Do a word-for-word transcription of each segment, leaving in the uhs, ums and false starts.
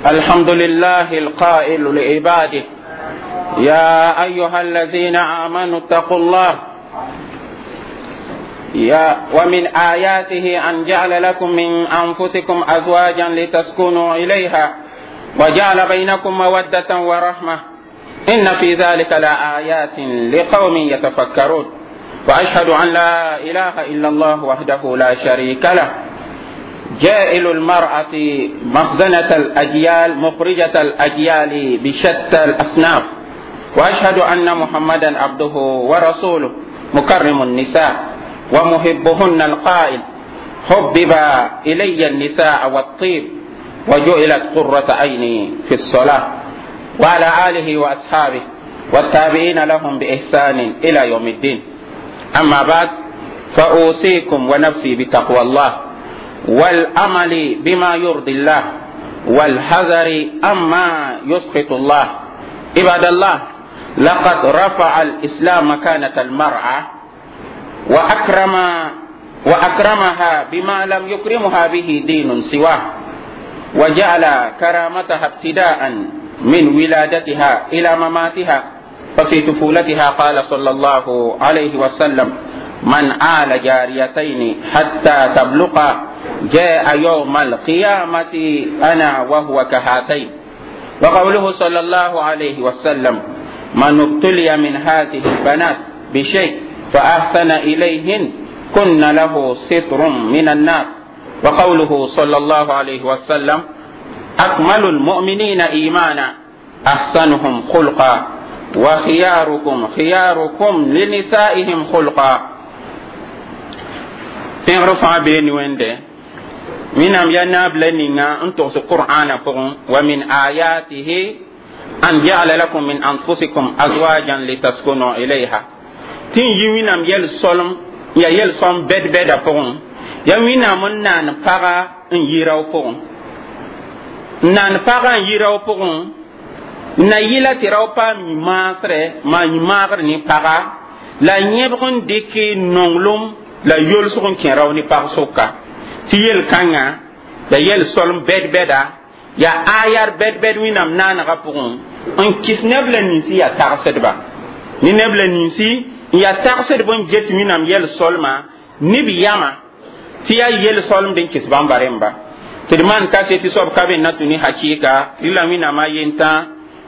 الحمد لله القائل لعباده يا أيها الذين آمنوا اتقوا الله يا ومن آياته أن جعل لكم من أنفسكم أزواجا لتسكنوا إليها وجعل بينكم مودة ورحمة إن في ذلك لآيات لقوم يتفكرون وأشهد أن لا إله إلا الله وحده لا شريك له جائل المرأة مخزنة الأجيال مخرجة الأجيال بشتى الأصناف وأشهد أن محمدا عبده ورسوله مكرم النساء ومحبهن القائل حبب إلي النساء والطيب وجعلت قرة عيني في الصلاة وعلى آله وأصحابه والتابعين لهم بإحسان إلى يوم الدين أما بعد فأوصيكم ونفسي بتقوى الله والأمل بما يرضي الله والحذر أما يسخط الله عباد الله لقد رفع الإسلام مكانة المرأة وأكرم وأكرمها بما لم يكرمها به دين سواه وجعل كرامتها ابتداء من ولادتها إلى مماتها ففي طفولتها قال صلى الله عليه وسلم من آل جاريتين حتى تبلغا جاء يوم القيامة أنا وهو كهاتين وقوله صلى الله عليه وسلم من ابتلي من هذه البنات بشيء فأحسن إليهن كن له ستر من النار وقوله صلى الله عليه وسلم أكمل المؤمنين إيمانا أحسنهم خلقا وخياركم خياركم لنسائهم خلقا tẽegr fãa bee ne wẽnde wẽnnaam yaa naab la ninga n togs qur'aana pʋgẽ wa min ayatihi an ja'ala lakum min anfusikum azwajan litaskunu ilayha tɩ n yi wẽnnaam yɛl solem ya yɛl sõm bɛd-bɛda pʋgẽ ya wẽnnaam n naan paga n yi rao pʋgẽ n naan paga n yi rao pʋgẽ n na yɩla tɩ rao paam yĩ-maasrɛ maan yĩ-maagr ne paga la yẽbg n dɩk nonglem la yolsg n kẽ rao ne pag sʋka tɩ yel-kãngã ya yɛl solem bɛd-bɛda ya ayar bɛd-bɛd wẽnnaam naanegã pʋgẽ n kɩs neb la ninsi yaa tagsdba ne neb la ninsi n yaa tagsdb n get wẽnnaam yɛl solma ne b yama tɩ yaa yel solemd n kɩs bãmba rẽmba tɩ d maan kaset tɩ soab ka be n na tũ ne hakɩɩka rɩla wẽnnaam a yentã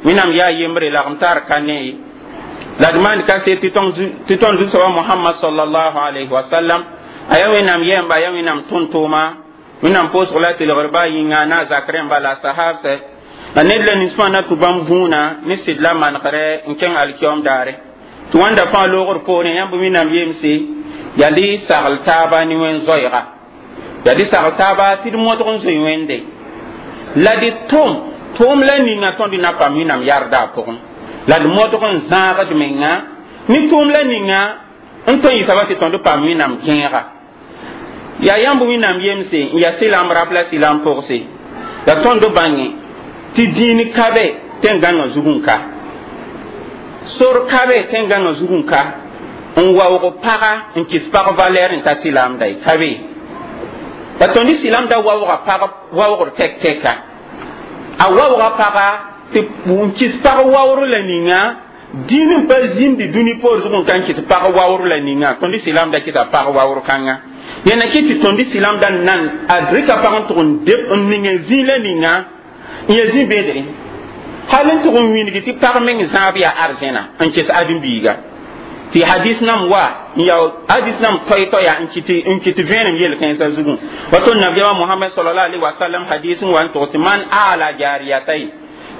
wẽnnaam yaa yembre lagem tar ka ne ye la d maan kaset tɩ tõnd zu-soaba mohamad sallallahu alayhi wa sallam a yaa wẽnnaam yɛmba a yaa wẽnnaam tʋm-tʋʋma wẽnnaam pʋʋsg la tɩlgr baa yĩnga na a zak rẽmba la a sahabsɛ la ned la nins fãa na tũ bãmb vũuna ne sɩd la manegre n kẽng alkiom daare tɩ wãnda fãa loogr poorẽ yãmb wẽnnaam yemse yaa dɩ sagl taaba ne wẽn-zoɛɛga yaa dɩ sagl taaba tɩ d modg n zoe wẽnde la dɩ tʋm tʋʋm la ninga tõnd na paam wẽnnaam yarda a pʋgẽ la d modg n zãagd menga ne tʋʋm la ninga n tõe n yɩsaba tɩ tõnd paam wẽnnaam gẽega yaa yãmb wẽnnaam yemse n yaa sɩlam rap la sɩlam pʋgse la tõnd bãnge tɩ dĩin ka be tẽn-gãngã zug n ka sor ka be tẽn-gãngã zug n ka n waoog paga n kɩs pag valɛɛr n ta sɩlamda ye ka be la tõnd sɩlamda waooga pag waoogr tɛk-tɛka a waooga paga tɩ n kɩs pag waoor la ninga dĩin n pa zĩndi dũni poor zug n ka n kɩs pag waoor la ninga tõnd sɩlamda kɩsa pag waoor kãnga yẽna kɩ tɩ tõnd sɩlamda nan a rɩka pag n tʋg n deb n ning n zĩ la ninga n ya zĩ bedre hal n tʋg n wĩndg tɩ pag meng zãab yaa arzẽna n kɩs ãdem-biiga tɩ hadis nam wa n ya hadis nam toy-toya n kɩt n kɩt vẽenem yel-kãensã zugẽ wa tõnd nabiyaamã mohamad sallallahu alaihi wasallam hadis n wa n togs man ala jariyatain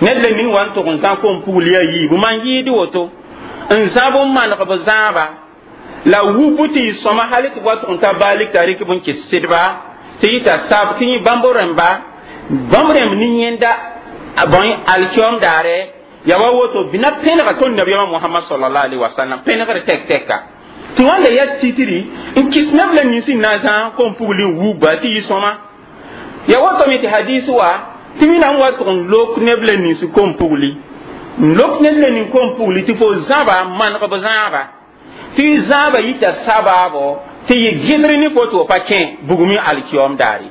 ned la ning wa n tʋg n zã kom pugl yaa yiibu man yɩɩd woto n zãb n maneg b zãaba la wubu tɩ y sõma hal tɩ b wa tʋg n ta baalik t'a rɩk b n kɩs sɩdba tɩ yɩta sab tɩ yẽ bãmb rẽmba bãmb rẽmb ne yẽnda bõe alkiom daare ya wa woto bɩna pẽnega tõnd nabiyaamã mohamad sallallahu alaihi wasallam pẽnegr tɛk-tɛka tɩ wãnda yaa titri n kɩs neb la nins n na n zã kom pugl n wugba tɩ yɩ sõma ya wotome tɩ hadis wa tɩ wẽnnaam wa tʋg n lok neb la nins kom pugli n lok ned la nin kom pugli tɩ fo zãba maneg b zãaba tɩ zãaba yita sabaabo tɩ yɩ gẽdr ne fo tɩ fo pa kẽ bugmẽ alkiom daare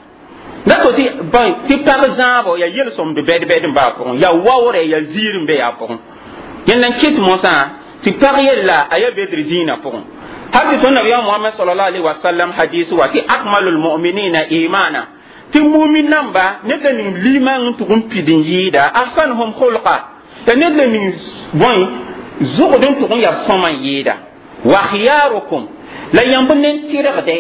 Da to tɩ bõe tɩ pag zãabo yaa yel-sõmd bɛd-bɛd n baa pʋgẽ, yaa waoorɛ, yaa ziir n be yaa pʋgẽ. Yẽnd n kɩt mosã tɩ pag yella a yaa bedr zĩinã pʋgẽ. Hal tɩ tõnd nabiyaam Mohamad sallallahu alaihi wasallam hadis wa tɩ akmalul mu'minina imana, tɩ mumin namba ned la ning limang n tʋg n pid n yɩɩda, ahsanuhum khulqa, ya ned la ning bõe zʋgd n tʋg n yaa sõma n yɩɩda, wa khiyarukum la yãmb nen tɩrgde,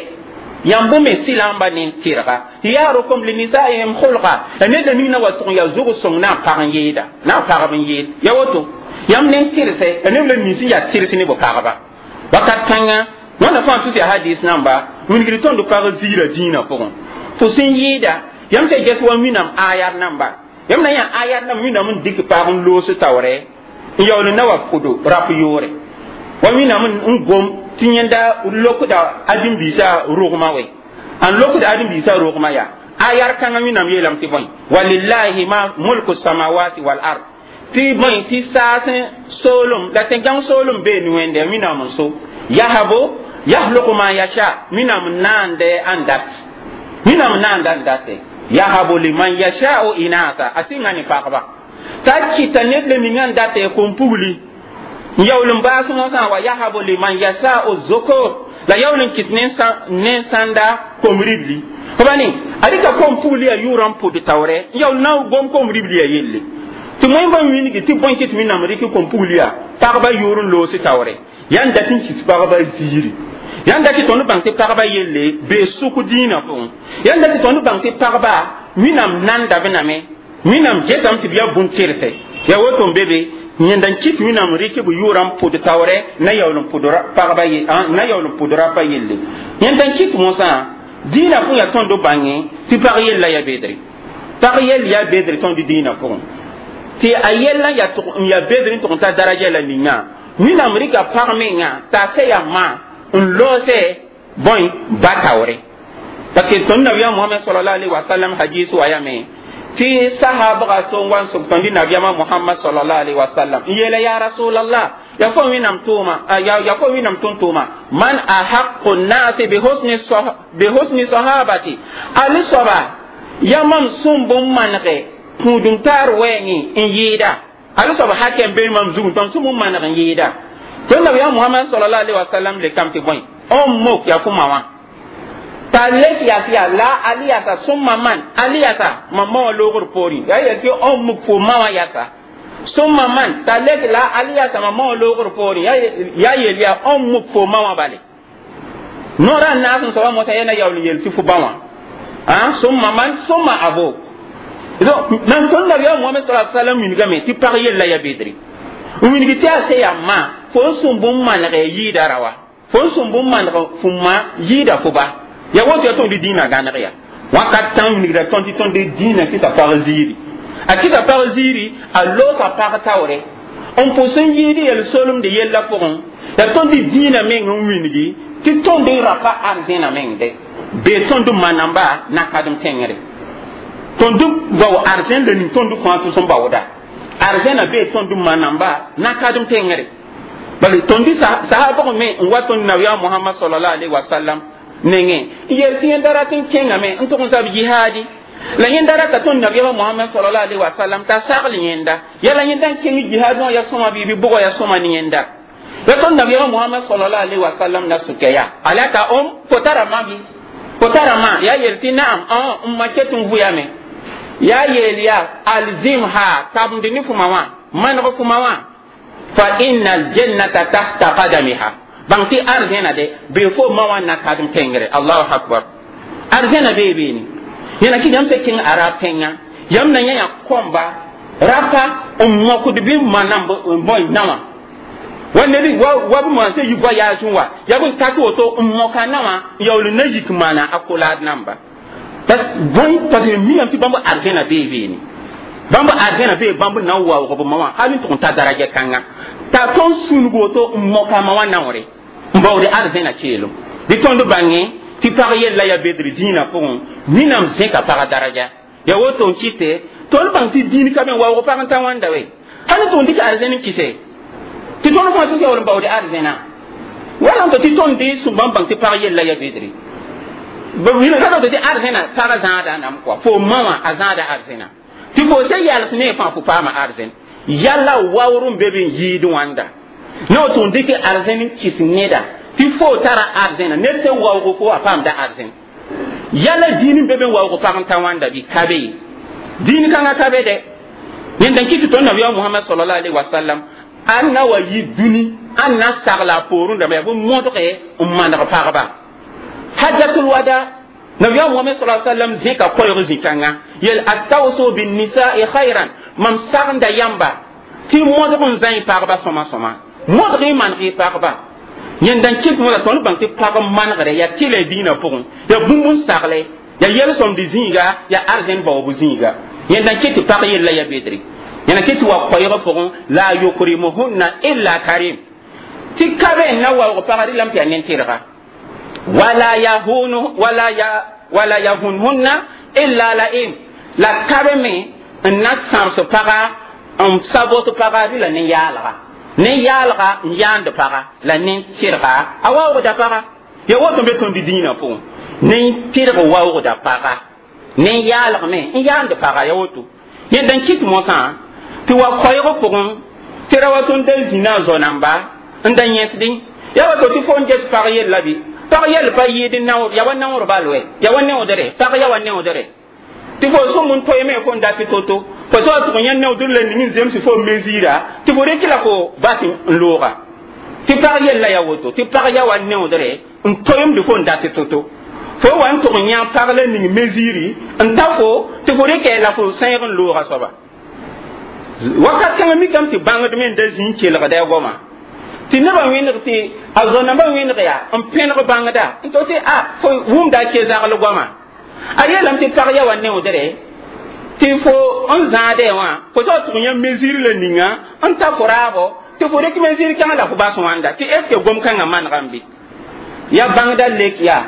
yãmb me sɩlamba nen tɩrga, khiyarukum linisaihim khulqa, la ned la ning na wa tʋg n yaa zʋg sõng na n pag n yɩɩda, na n pagb n yɩɩd. Ya woto yãmb nen tɩrse la neb la nins n yaa tɩrs ne b pagba wakat kãnga. Wãnna fãa tʋs yaa hadis namba wilgd tõnd pag ziirã dĩinã pʋgẽ fo sẽn yɩɩda. Yãmb sã ges wa wĩnam ayat namba, yãmb na yã ayat nam wĩnam n dɩk pag n loos taoorɛ n yaool n na wa pʋdo rap yoore wa wĩnam n gom tɩ yẽnda lokda ãdem-biisã rogmã we an lokda ãdem-biisã rogmã yaa ayar kãngã. Wĩnam yeelame tɩ bõe walillahi ma mulku samawati wal ard, tɩ bõe tɩ saasẽ soolem la tẽn-gãng soolem bee ne Wẽnde. Wĩnam n so yahabo yahluku ma yasha, wĩnam n naande ãn dat, wĩnam n naanda n date, yahabu liman yasha'u inasa, a sɩnga ne pagba t'a kɩta ned le ninga n date kom-pugli n yaool n baas mosã, wa yahabu liman yasha'u zukur, la yaool n kɩt ne sãnda kom-ribli fo ba ne a rɩka kom-pugli a yʋʋrã n pʋd taoorɛ n yaool na gom kom-ribli a yelle tɩ moẽmbã wilgi tɩ bõe kɩt wẽnnaam rɩk kom-pugli yaa pagba yʋʋr n loos taoorɛ yãn dat n kis pagba ziiri. Yãn dat tɩ tõnd bãng tɩ pagba yelle bee sʋk dĩinã pʋgẽ. Yãn dat tɩ tõnd bãng tɩ pagba wẽnnaam nanda b name, wẽnnaam getame tɩ b yaa bũn-tɩrse. Yaa woto n be be yẽnda n kɩt wẽnnaam rɩk b yʋʋrã n pʋd taoorɛ na yaool n pʋd pagba na yaool n pʋd rapa yelle. Yẽnda n kɩt mosã dĩinã pʋgẽ yaa tõnd bãngẽ tɩ pag yella yaa bedre, pag yell yaa bedre tõnd dĩinã pʋgẽ, tɩ a yella yaa n yaa bedr n tʋg n ta daraja la ninga wẽnnaam rɩka pag menga t'a sɛ yaa ma n loose bõe ba taoore, parce que tõnd nabiyaam Mohamad sallallahu alaihi wasallam hadis wa yame tɩ sahabga to n wa n sʋk tõnd nabiyaamã Mohamad sallallahu alaihi wasallam n yeela: ya rasulallah, ya fo wẽnnaam tʋʋma, ya fo wẽnnaam tʋm-tʋʋma, man ahaqu nnasi bi husni sahabati, ali soaba ya mam sũm bũmb manege kũudum taar wɛɛngẽ n yɩɩda, ali soab hakɛ n bee mam zugum tõnd sũm n maneg n yɩɩda? Tõnd nabiyaam Mohamad sallallahu alaihi wasallam lekame tɩ bõe ummuk, ya fo ma wã t'a lek yas yaa la ali yasa sũmma man ali yasa mam ma wã loogr poorẽ yaa yel tɩ ummuk fo ma wã yasa sũmma man t'a lek la ali yasa mam ma wã loogr poorẽ yaa yel yaa ummuk fo ma wã bale noorã n naas n soaba mosã yaa na yaool n yel tɩ fo ba wã sũmma man sũmma abuk. Donc nan tõnd nabiyaam Mohamad sallallahu alaihi wasallam wilgame tɩ pag yella ya bedre n wilg tɩ a se yaa ma fo n sũm bũmb maneg yɩɩda ra wa fo n sũm bũmb maneg fo ma yɩɩda fo ba ya woto yaa tõnd dĩinã gãneg ya wakat tãng wilgda tõnd tɩ tõnd dĩinã kɩsa pag ziiri, a kɩsa pag ziiri, a loosa pag taoore n pʋs n yɩɩd yel-solemd yella pʋgẽ. Ya tõnd dĩinã meng n wilgi tɩ tõnd n rapa arzẽna meng de bee tõnd manamba nakadem tẽngre tõnd bao arzẽn la ning tõnd fãa tʋs n baooda arzẽna bee tõnd manamba nakadem tẽngre. Bala tõnd sahabg me n wa tõnd nabiyaam Mohamad sallallahu alaihi wasallam nengẽ n yel tɩ yẽnda rat n kẽngame n tʋg n zab jihaadi la yẽnda rata tõnd nabiyaamã Mohamad sallallahu alaihi wasallam t'a sagl yẽnda yala yẽnda n kẽng jihaad wã ya sõma bɩ bɩ bʋgã ya sõma ne yẽnda ya tõnd nabiyaamã Mohamad sallallahu alaihi wasallam na sʋka yaa alaka om fo tara ma bɩ fo tara ma yaa yel tɩ naam n ma ket n vʋyame yaa yeel yaa alzimha tabmd ne fʋma wã maneg fʋma wã fa inna aljannata tahta qadamiha, bãng tɩ arzẽna de bee fo ma wã na kadem tẽngre. Allahu akbar, arzẽna bee beene yẽna kɩ yãmb sã kẽng arab tẽngã yãmb na yã kõmba rapa n mokd bɩ ma namb bõe nawã wa ned wa wa b maan sã yi voyage n wa yaa bõe tak woto n moka nawã n yaool n na yik maana a kolaad namba bõe parce que miame tɩ bãmb arzẽna bee beene bãmb arzẽna bee bãmb na n waoog b ma wã hal n tʋg n ta daraja kãnga t'a tõnd sũnug woto n moka ma wã naoore n baoode arzẽna keelem bɩ tõnd bãngẽ tɩ pag yella yaa bedr dĩinã pʋgẽ. Wẽnnaam zẽka paga daraja ya woto n kɩte tõnd bãng tɩ dĩin ka me n waoog pag n ta wãnda we hal n tʋg n dɩk arzẽn n kɩse tɩ tõnd fãa tɩ yaool n baoode arzẽna wala n to tɩ tõnd sũ bãmb bãng tɩ pag yella yaa bedre. Ra tɩ arzẽna pag zãada nam kɔa fo ma wã a zãada arzẽna tɩ fo se yals ne fãa fo paama arzẽn yalla waoor n be be n yɩɩd wãnda ne tɩ n dɩk arzẽn n kɩs neda tɩ fo tara arzẽna ned sẽn waoogo fo a paamda arzẽn yalla dĩin n be be n waoog pag n ta wãnda bɩ ka be ye dĩin kãngã ka be dɛ yẽnda n kɩt tɩ tõnd nabiyaam Mohamad sallallahu alaihi wasallam a na wa yi dũni a na sagla a poorẽ dãmba yaa bõe modge n maneg pagba hajjatul wada nabiyaam Mohamad sallallahu alaihi wasallam zẽka koɛɛg zĩ-kãngã yel astawsu binnisa'i khayran mam sagenda yãmba tɩ modg n zãe pagba sõma sõma modg y maneg y pagba yẽnda n kɩt mõda tõnd bãng tɩ pag manegre yaa tɩla dĩinã pʋgẽ yaa bũmb n sagle yaa yel-sõmd zĩiga yaa arzẽn baoob zĩiga yẽnda n kɩt tɩ pag yella ya bedre yẽnda kɩt tɩ wa koɛɛg pʋgẽ la yukrimuhunna illa karim tɩ ka be n na waoog pagã rɩlame tɩ yaa nen-tɩrga wala yahunu wala ya wala yahunhunna illa la'im la ka be me n na sãbs paga n sabot paga rɩla nen-yaalga nen-yaalga n yaand paga la nen-tɩrga a waoogda paga ya woto be tõnd dĩinã pʋgẽ nen-tɩrg waoogda paga nen-yaalg me n yaand paga ya woto yẽnda n kɩt mosã tɩ wa koɛɛg pʋgẽ tɩ ra wa tõnd da zĩna a zo-namba n da yẽsdẽ ya wato tɩ fo n get pag yella bɩ pag yell pa yɩɩd naoor ya wa naoor bal wɛ ya wa neoodre pag ya wa neoodre tɩ fo sõm n toeeme fo n dat to-to fo soa tʋg yã neoodr la ning n zems fo mesira tɩ fo rɩk la fo bas n looga tɩ pag yella ya woto tɩ pag ya wa neoodre n toeemd fo n dat to-to fo wa n tʋg yã pag la ning mesiri n ta fo tɩ fo rɩkɛ la fo sẽeg n looga soaba wakat kãngã mikame tɩ bãngd me n da zĩ n kelgda a goama tɩ nebã wẽneg tɩ a zo-nambã wẽneg yaa n pẽneg bãngda n to tɩ a fo wʋmda a ke zagl goama a yeelame tɩ pag ya wa neoodre tɩ fo n zãadɛ wã fo soa tʋg yã mesure la ninga n ta fo raabo tɩ fo rɩk mesure kãngã la fo bas wãnda tɩ est ce que gom kãngã manegame bɩ ya bãngda lek yaa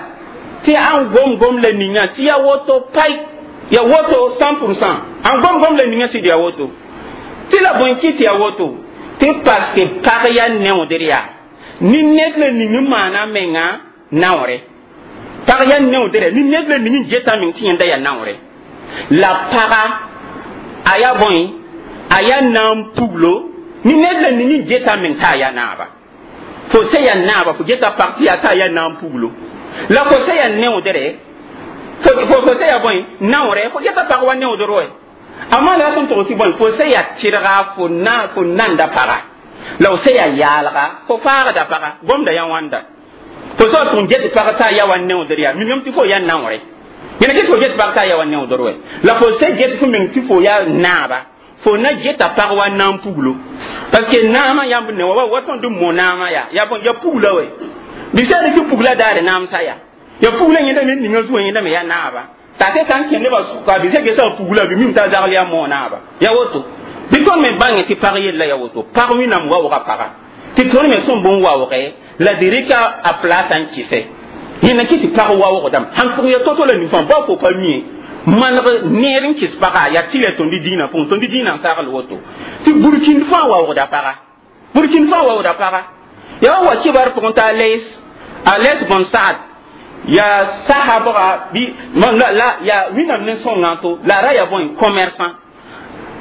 tɩ ãn gom gom la ninga tɩ ya woto pai ya woto cent pourcent ãn gom gom la ninga sɩd ya woto tɩ la bõe kɩ tɩ ya woto tɩ parce que pag ya neoodr yaa ni ned la ning n maana menga naoore pag ya neoodre ni ned la ning n geta meng tɩ yẽnda yaa naoore la paga a yaa bõe a yaa naam puglo ni ned la ning n geta meng t'a yaa naaba fo se yaa naaba fo geta pag tɩ yaa t'a yaa naam puglo la fo se yaa neoodre fo fo se yaa bõe naoore fo geta pag wa neoodr wɛ amma la sẽn togs bõe fo se yaa tɩrga fo na fo nanda paga la fo se yaa yaalga fo faagda paga gomda yaa wãnda fo soa tʋg n get pag t'a yaa wa neoodr yaa mingame tɩ fo yaa naoore yẽna get fo get pag t'a yaa wa neoodr wɛ la fo se get fo meng tɩ fo yaa naaba fo na geta pag wa naam puglo parce que naamã yãmb ne wa wa tõnd n mo naamã yaa yaa bõe yaa pugla wɛ bɩ sã tɩ pugla daare naamsa yaa yaa pugla yẽnda me ninga zuã yẽnda me yaa naaba t'a se sã n kẽ nebã sʋka bɩ se gesa pugla bɩ mim t'a zagl yaa moo naaba ya woto bɩ tõnd me bãngẽ tɩ pag yella ya woto pag wẽnnaam waooga paga tɩ tõnd me sẽn bõn waooge la d rɩka a place n kɩsɛ yẽnda kɩ tɩ pag waoogdame sãn pʋgẽ ya to-to la nin-fãa bao fo pa mie maneg neer n kɩs paga yaa tɩ la tõnd dĩinã pʋgẽ tõnd dĩinã n sagl woto tɩ burkĩnd fãa waoogda paga burkĩnd fãa waoogda paga yaa wa kibar pʋgẽ t'a les a les bõn saad yaa sahabga bi la la ya wẽnnaam ne sõngã to la ra yaa bõe commerçant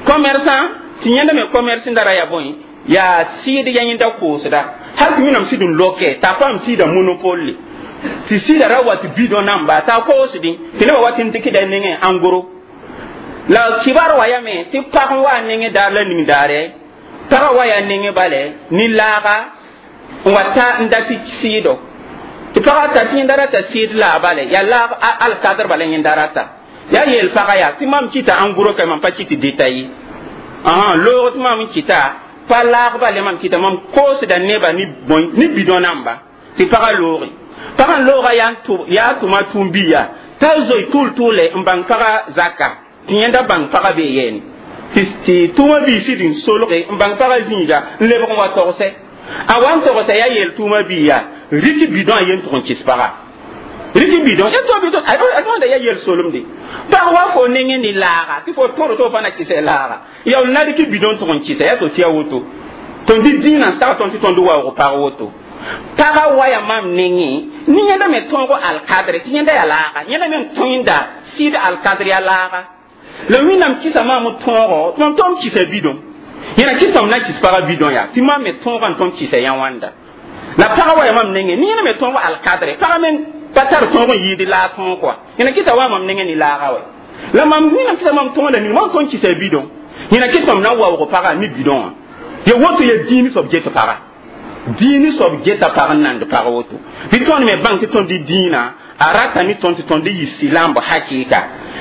commerçant tɩ yẽnda me commerce da ra yaa bõe yaa sɩɩd ya yẽnda koosda hal tɩ wẽnnaam sɩd n loke t'a paam sɩɩda monopole tɩ sɩɩda ra wa tɩ bidon namba t'a koosdẽ tɩ nebã wa tɩ n dɩkda nengẽ en gros la kibar wa yame tɩ pag n wa nengẽ daar la ning daare pagã wa yaa nengẽ bale ne laaga n wa ta n dat tɩ sɩɩdo tɩ pagã ta tɩ yẽnda rata sɩɩd la bale yaa laag alkadr bala yẽnda rata yaa yeel pagã yaa tɩ mam kɩta en gros ka mam pa kɩt détaillé ahan loog tɩ mam n kɩta pa laag bale mam kɩta mam koosda neba ne bõe ne bidon namba tɩ pagã looge pagã n looga yaa tʋma tũum-biya t'a zoe tʋʋl-tʋʋle n bãng pagã zaka tɩ yẽnda bãng pagã bee yɛɛne tɩ tʋʋmã bii sɩd n solge n bãng pagã zĩiga n lebg n wa togsɛ a wa n togsɛ yaa yeel tʋʋmã bii yaa rɩk bidon a yen tʋg n kɩs paga rɩk bidon ya to bidon a tõnda ya yel solemde pag wa fo nengẽ ne laaga tɩ fo tõr tɩ fo pa na kɩsɛ laaga ya na rɩk bidon tʋg n kɩsɛ ya to tɩ ya woto tõnd dĩ dĩinã n sag tõnd tɩ tõnd waoog pag woto Paga waya mam nengẽ ne yẽnda me tõogo alkadre tɩ yẽnda yaa laaga, yẽnda me n tõenda sɩd alkadr yaa laaga. La Wẽnnaam kɩsa maam tõogo tɩ mam tõm kɩsa bidõ. Yẽna kɩs mam na n kɩs pagã bidõ yaa tɩ mam me tõogã n tõnd kɩsa yã wãnda. La pagã waya mam nengẽ ne yẽnda me tõogo alkadre, pagã me pa tar tõog n yɩɩd laag tõog kɔa. Yẽna kɩsa wa mam nengẽ ne laaga wɛ. La mam Wẽnnaam kɩsa mam tõog la ning mam tõnd kɩsa bidõ. Yẽna kɩs mam na n waoog pagã ne bidõ wã. Ya woto ya dĩin soab get paga. Dĩin soab geta pag n nand pag woto. Bɩ tõnd me bãng tɩ tõnd dĩinã a rata ne tõnd tɩ tõnd yɩ silamb hakɩɩka.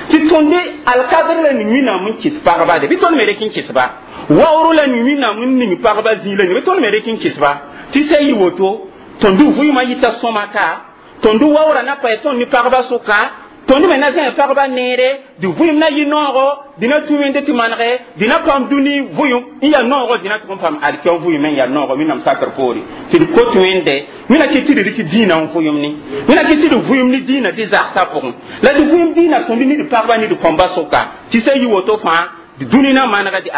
Tɩ tõnd alkadr la ning Wẽnnaam n kɩs pagba de, bɩ tõnd me rek n kɩs-ba. Waoor la ning Wẽnnaam n ning pagba zĩig la ning, bɩ tõnd me rek n kɩs-ba. Tɩ sã yɩ woto, tõnd vʋɩɩmã yɩta sõma ka, tõnd waoora na paɛ tõnd ne pagba sʋka, tõnd me na zãe pagba neere, dɩ vʋɩɩm na yɩ noogo, dɩ na tũ wẽnde tɩ manege, dɩ na paam dũni vʋɩʋm n yaa noogo, dɩ na tʋg n paam alkiõ vʋɩɩm n yaa noogo Wẽnnaam sakr poore. Tɩ d kot Wẽnde, Wẽnna kɩ tɩ d rɩk dĩinã n vʋɩʋm ne. Wẽnna kɩ tɩ d vʋɩʋm ne dĩinã dɩ zagsã pʋgẽ. La d vʋɩʋm dĩinã tõnd ne d pagba ne d kõmba sʋka. Tɩ sã yɩ woto fãa, dɩ dũni na manega, dɩ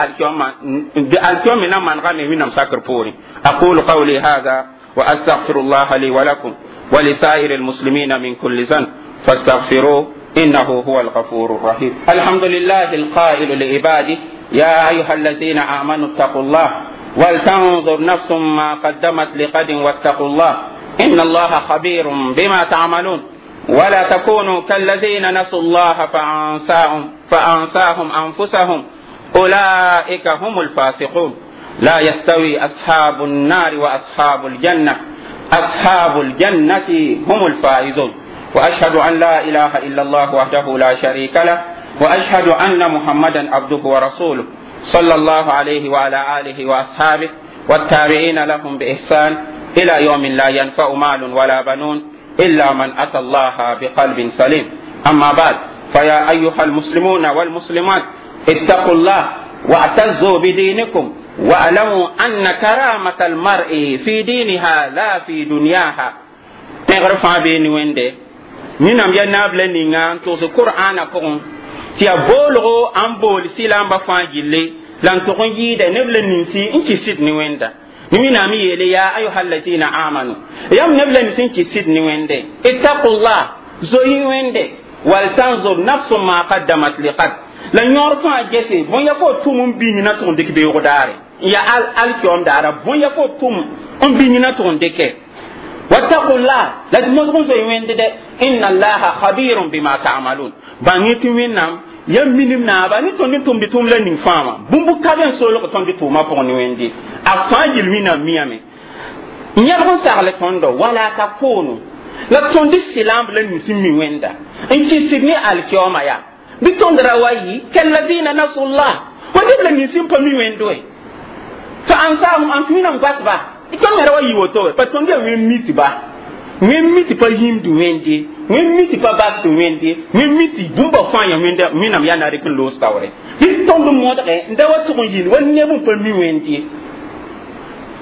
alkiõ me na manegame Wẽnnaam sakr poore. أقول قولي هذا وأستغفر الله لي ولكم ولسائر المسلمين من كل ذنب فاستغفروه إنه هو الغفور الرحيم. الحمد لله القائل لعباده يا أيها الذين آمنوا اتقوا الله ولتنظر نفس ما قدمت لغد واتقوا الله إن الله خبير بما تعملون. ولا تكونوا كالذين نسوا الله فأنساهم, فأنساهم أنفسهم أولئك هم الفاسقون. لا يستوي أصحاب النار وأصحاب الجنة، أصحاب الجنة هم الفائزون. وأشهد أن لا إله إلا الله وحده لا شريك له، وأشهد أن محمدا عبده ورسوله صلى الله عليه وعلى آله وأصحابه والتابعين لهم بإحسان إلى يوم لا ينفع مال ولا بنون إلا من أتى الله بقلب سليم. أما بعد، فيا أيها المسلمون والمسلمات اتقوا الله واعتزوا بدينكم، واعلموا أن كرامة المرء في دينها لا في دنياها. Tẽgr fãa bee ne Wẽnde Wẽnnaam yaa naab la ninga n togs Qur'aana pʋgẽ tɩ yaa boolgo n bool sɩlamba fãa gilli la n tʋg n yɩɩda neb la ninsi n kɩs sɩd ne Wẽnda. Ne Wẽnnaam yeele يا أيها الذين آمنوا, yãmb neb la nins n kɩs sɩd ne Wẽnde, اتقوا الله, zoe Wẽnde, ولتنظر نفس ما قدمت لغد. La yõor fãa gese bõn ya fo tʋm n bĩng na tʋg n dɩk beoog daare n yaa al alkiom daara, bõn ya fo tʋm n bĩng na tʋg n dɩke. واتقوا الله, la d modg n zoe Wẽnde dɛ, إن الله خبير بما تعملون. Bãng tɩ Wẽnnaam ya minim naaba ne tõnd n tʋmd tʋʋm la ning fãa wã, bũmb ka be n solg tõnd tʋʋmã pʋgẽ ne Wẽnde a fãa yel Wẽnnaam miyame. N yãlg n sagl tõndo ولا تكونوا, la tõnd sɩlamb la nins n mi Wẽnda n kɩsd ne alkioma yaa bɩ tõnd ra wa yɩ كالذين نسوا الله, wa neb la nins n pa mi Wẽnd we, فأنساهم أنفسهم, Wẽnnaam basba. Tõnd me ra wa yɩ woto we pa tõnd yaa wẽn mi tɩ ba wẽn mi tɩ pa yĩmd Wẽnde, wẽn mi tɩ pa basd Wẽnde, wẽn mi tɩ bũmba fãa yã Wẽnda Wẽnnaam yaa na rɩk n loos taoore. Bɩ tõnd modge n da wa tʋg n yĩnd wa neb n pa mi Wẽnde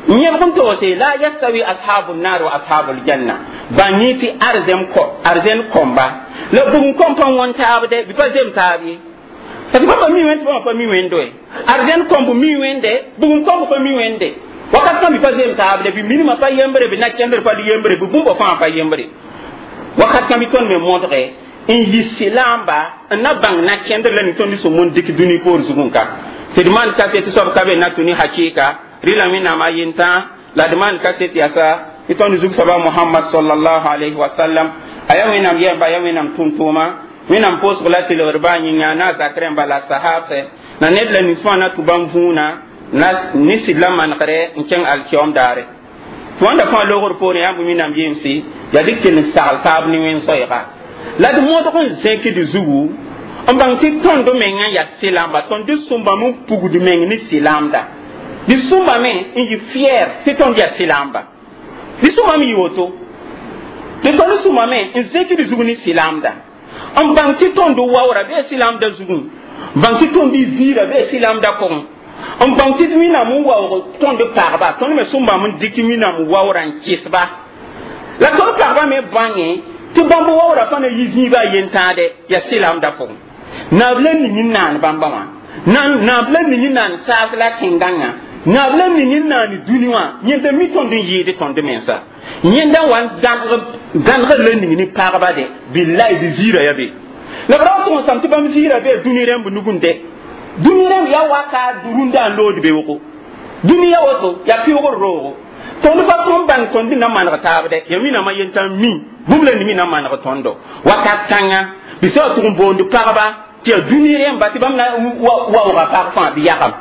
yẽbg n toose لا يستوي أصحاب النار وأصحاب الجنة. Bãng tɩ arzɛm arzɛn kõmba la bugum kõm pa wõn taabde, bɩ pa zem taab ye, parce que bãmba mi Wẽnd tɩ bãmba pa mi Wẽnd we. Arzɛn kõmb mi Wẽnde, bugum kõmb pa mi Wẽnde. Wakat kã bɩ pa zem taabde, bɩ minimã pa yembre, bɩ na-kẽndr pa yembre, bɩ bũmba fãa pa yembre. Wakat kã bɩ tõnd me modge n yɩ sɩlamba n na bãng na-kẽndr la ning tõnd sẽn mon dɩk dũni poor zugẽ ka tɩ d maan kaset soab ka be na tũ ne hakɩɩka rɩla Wẽnnaam a yentã la d maan kaset yasa tɩ tõnd zug soaba Mohamad صلى الله عليه وسلم a yaa Wẽnnaam yɛmba, yaa Wẽnnaam tʋm-tʋʋma. Wẽnnaam pʋʋsg la tɩlgd baa yĩnga na a zak rẽmba la sahabsɛ na ned la nins fãa na tʋ bãmb vũuna na ne sɩd la manegre n kẽng alkiom daare. Tɩ wãnda fãa loogr poorẽ yaa bõe Wẽnnaam yemsi yaa dɩk kell n sagl taab ne wẽn soɛɛga la d modg n zẽkd zugu n bãng tɩ tõnd mengã yaa sɩlamba, tõnd sũmbame n pugd meng ne sɩlamda, dɩ sũmbame n yɩ fier tɩ tõnd yaa sɩlamba, dɩ sũmbame yɩ woto tɩ tõnd sũmbame n zẽkd zug ne sɩlamda, n bãng tɩ tõnd waoora bee sɩlamda zugẽ, bãng tɩ tõnd ziira bee sɩlamda pʋgẽ, n bãng tɩ Wẽnnaam n waoog tõnd pagba, tõnd me sũmbame n dɩk Wẽnnaam waoora n kɩsba, la tõnd pagba me bãngẽ tɩ bãmb waoora pa na yɩ zĩiba a yentãade yaa sɩlamda pʋgẽ. Naab la ning n naan bãmba wã, naab la ning n naan saas la tẽn-gãngã Naab la ning n naani dũni wã yẽnda mi tõnd n yɩɩd tõnd mensa yẽnda wa n gãneg la ning ne pagba de billahi bɩ ziirã ya be la b ra tʋg n sãm tɩ bãmb ziirã bee dũni rẽmb nugẽ de dũni rẽmb yaa waka rũndã n lood beoogo dũni ya woto yaa pɩʋgr roogo tõnd pa tõnd bãng tõnd na maneg taab dɛ ya minama yentã mi bũmb la nimi na maneg tõndo wakat kãnga bɩ sã tʋg n boond pagba tɩ yaa dũni rẽmba tɩ bãmb na waooga pag fãa bɩ yagam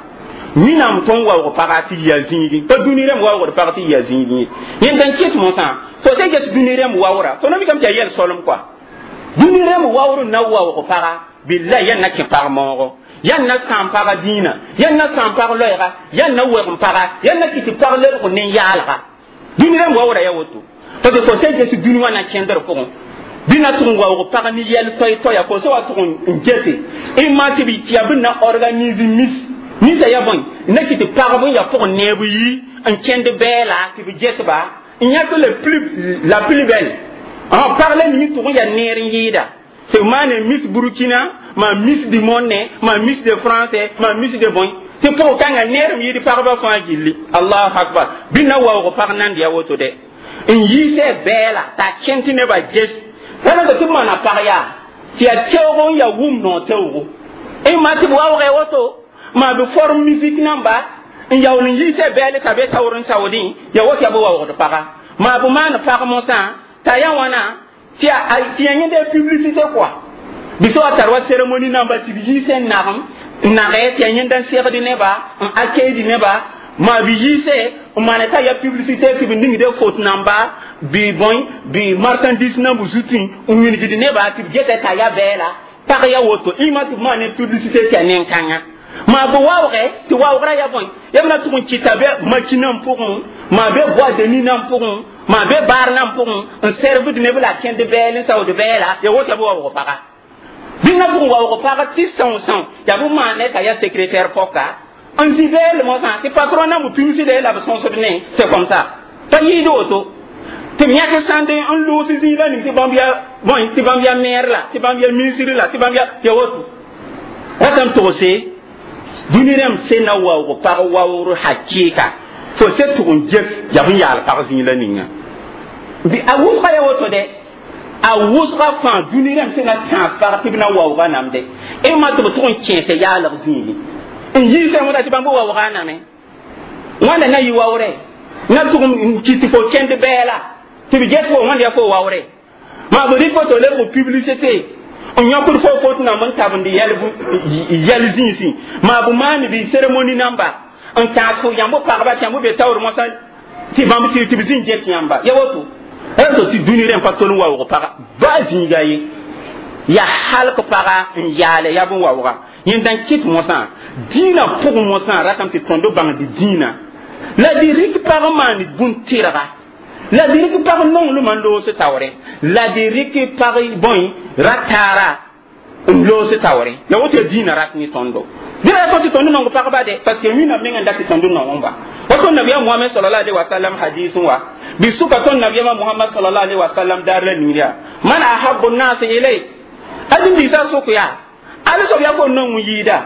wẽnnaam tõnd waoog paga tɩ yɩ a zĩigẽ pa dũni rẽmb waoogd pag tɩ yɩ a zĩigẽ ye yẽnd n kɩt mosã fo sẽn ges dũni rẽmb waoora fo na mikame tɩ yaa yɛl solem koa dũni rẽmb waoor n na waoog paga billa yãn na kẽ pag moogo yãn na sãam paga dĩinã yãn na sãam pag loɛɛga yãn na wɛg n paga yãn na kɩ tɩ pag lebg nen-yaalga dũni rẽmb waoora yaa woto parce que fo sẽn ges dũni wã na kẽndr pʋgẽ bɩ na tʋg n waoog pag ne yɛl toay-toaya fo sã wa tʋg n gese n maa tɩ b yaa bɩ na organise mis ninsa ya bõe na kɩ tɩ pagb n yaa pʋgẽ neeb yi n kẽnd bɛɛla tɩ b ges-ba n yãk le plus la plus belle pag la ning tʋg n yaa neer n yɩɩda tɩ b maane Miss Burkina ma Miss du monde ma Miss de France ma Miss de bõe tɩ pʋg kãngã neer m yɩɩd pagba fãa gilli allahu akbar bɩ na waoog pag nand ya woto dɛ n yiisɛ bɛɛla t'a kẽnd tɩ nebã ges wala tɩ b maana pag yaa tɩ yaa teoog n yaa wʋm noog teoogo n maa tɩ b waoogɛ woto maa bɩ forme musique namba n yaool n yiisɛ bɛɛl t'a be taoor n saoodẽ yaa woto yaa bɩ waoogd paga maa bɩ maan pag mosã t'a yaa wãna tɩ yaa yẽnda publicité quoi bɩ sã wa tar wa cérémonie namba tɩ b yiisɛ n nagem n nagɛ tɩ yaa yẽnda n segd neba n accueildi neba maa bɩ yiisɛ n maana t'a yaa publicité tɩ b ningde fot namba bɩ bõe bɩ marchandise namb zutẽ n wilgd neba tɩ b geta t'a yaa bɛɛla pag ya woto ɩma tɩ b maan ne publicité tɩ yaa nen-kãngã maa bɩ waoogɛ tɩ waoogrã yaa bõe yaa b na tʋg n kɩta bɛ makinã pʋgẽ maa be boîte de nuit nan pʋgẽ maa be baar nan pʋgẽ n servd neb la kẽnd bɛɛl n saood bɛɛla ya woto yaa bɩ waoog paga bɩ na pʋgẽ waoog paga tɩ são são yaa bɩ maane t'a yaa secrétaire pɔka n zĩ bɛɛl mosã tɩ patron na b pigsde la b sõsd ne c'est comme ça pa yɩɩd woto tɩ b yãk sãnd n loos zĩig la ning tɩ bãmb yaa bõe tɩ bãmb yaa maire la tɩ bãmb yaa ministre la tɩ bãmb yaa ya woto ratame togse dũni rẽmb se na waoog pag waoor hakɩɩka fo se tʋg n ges yaa bẽn yaal pag zĩig la ninga a wʋsga ya woto dɛ a wʋsga fãa dũni rẽmb se na tãag pag tɩ b na waooga namde d ma tɩ b tʋg n kẽese yaalg zĩigi n yiisã wẽnda tɩ bãmb waooga name wãnda na yɩ waoore na tʋg n kɩ tɩ fo kẽnd bɛɛla tɩ b ges fo wãnd yaa fo waoore maa b rɩk fo tɩ lebg publicité n yõkd fo fot namb n tabend yɛl zĩisẽ maa b maan bɩ cérémonie namba n tãag fo yãmb pagba tɩ yãmb be taoor mosã tɩ bãmb tɩ b zĩ get yãmba ya woto to tɩ dũni rẽmb pa tol n waoog paga baa zĩiga ye yaa halk paga n yaale yaa bẽn waooga yẽnda n kɩt mosã dĩinã pʋgẽ mosã ratame tɩ tõnd bãngd dĩinã la dɩ rɩk pag n maan bũn-tɩrga la dɩ rɩk pag nonglmã n loos taoore la dɩ rɩk pag bõe ra-taara n loos taoore ya woto yaa dĩinã rat ne tõndo dẽ ra tõ tɩ tõnd nong pagba de parce que wĩnnaam meng n dat tɩ tõnd nong ba woto nabiya Muhammad sallallahu alaihi wasallam hadis wa bi suka tõnd nabiyama Muhammad sallallahu alaihi wasallam daar la ning yaa man ahabbu nnas ilay adin-biisã sʋk yaa ala soab yaa fo nong n yɩɩda